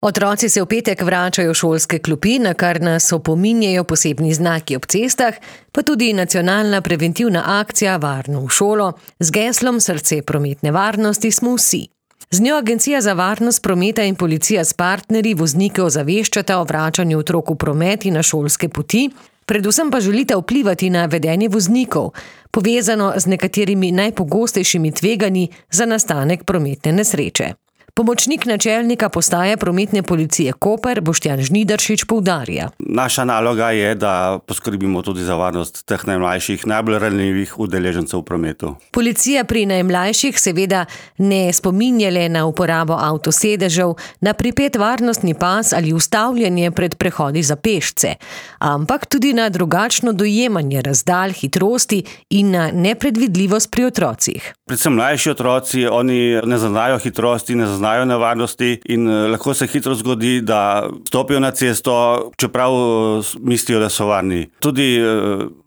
Otroci se v petek vračajo v šolske klopi, na kar nas opominjajo posebni znaki ob cestah, pa tudi nacionalna preventivna akcija Varno v šolo z geslom Srce prometne varnosti smo vsi. Z njo Agencija za varnost prometa in policija s partnerji voznike ozaveščata o vračanju otrok v promet in na šolske poti, predvsem pa želita vplivati na vedenje voznikov, povezano z nekaterimi najpogostejšimi tveganji za nastanek prometne nesreče. Pomočnik načelnika postaje prometne policije Koper Boštjan Žnidaršič poudarja. Naša naloga je, da poskrbimo tudi za varnost teh najmlajših, najbolj ranljivih udeležencev v prometu. Policija pri najmlajših seveda ne spominja le na uporabo avtosedežev, na pripet varnostni pas ali ustavljanje pred prehodi za pešce, ampak tudi na drugačno dojemanje razdalj, hitrosti in na nepredvidljivost pri otrocih. Predvsem mlajši otroci, oni ne zaznajo hitrosti, ne zaznajo nevarnosti in lahko se hitro zgodi, da stopijo na cesto, čeprav mislijo, da so varni. Tudi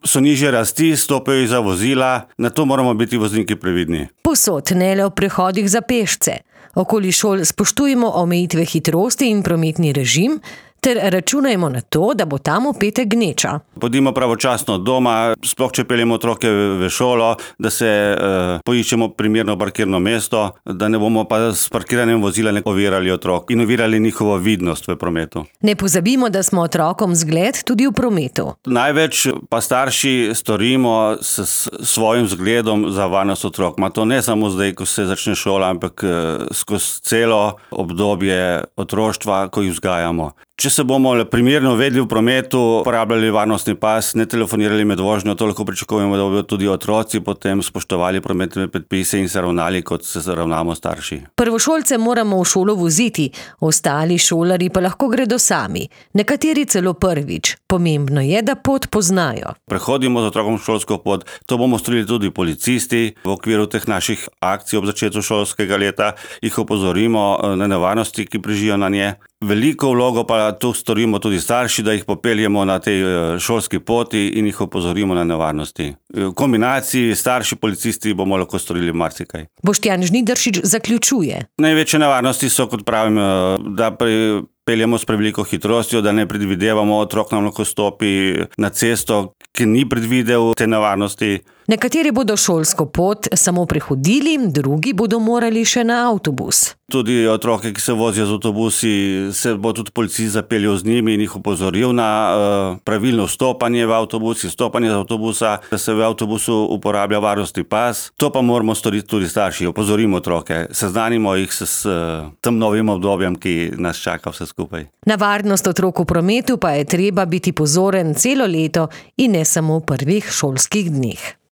so nižje rasti, stopijo iza vozila, na to moramo biti vozniki previdni. Povsod, ne le v prehodih za pešce. Okoli šol spoštujemo omejitve hitrosti in prometni režim, ter računajmo na to, da bo tam v petek gneča. Pojdimo pravočasno doma, sploh če peljemo otroke v šolo, da se poiščemo primerno parkirno mesto, da ne bomo pa s parkiranjem vozila ovirali otrok in ovirali njihovo vidnost v prometu. Ne pozabimo, da smo otrokom zgled tudi v prometu. Največ pa starši storimo s svojim zgledom za varnost otrok. Ma to ne samo zdaj, ko se začne šola, ampak skozi celo obdobje otroštva, ko jih vzgajamo. Če se bomo primerno vedli v prometu, uporabljali varnostni pas, ne telefonirali med vožnjo, to lahko pričakujemo, da bodo tudi otroci potem spoštovali prometne predpise in se ravnali, kot se ravnamo starši. Prvošolce moramo v šolo voziti, ostali šolarji pa lahko gredo sami, nekateri celo prvič. Pomembno je, da pot poznajo. Prehodimo z otrokom šolsko pot, to bomo storili tudi policisti. V okviru teh naših akcij ob začetku šolskega leta jih opozorimo na nevarnosti, ki prežijo na nje. Veliko vlogo pa tu storimo tudi starši, da jih popeljemo na tej šolski poti in jih opozorimo na nevarnosti. V kombinaciji starši, policisti bomo lahko storili marsikaj. Boštjan Žnidaršič zaključuje. Največje nevarnosti so, kot pravim, da peljemo s preveliko hitrostjo, da ne predvidevamo, otrok nam lahko stopi na cesto, ki ni predvidel te nevarnosti. Nekateri bodo šolsko pot samo prehodili, drugi bodo morali še na avtobus. Tudi otroke, ki se vozijo z avtobusi, se bo tudi policist zapeljal z njimi in jih opozoril na pravilno vstopanje v avtobus, izstopanje z avtobusa, da se v avtobusu uporablja varnostni pas. To pa moramo storiti tudi starši, opozorimo otroke, seznanimo jih s tem novim obdobjem, ki nas čaka vse skupaj. Na varnost otrok v prometu pa je treba biti pozoren celo leto in ne samo v prvih šolskih dneh.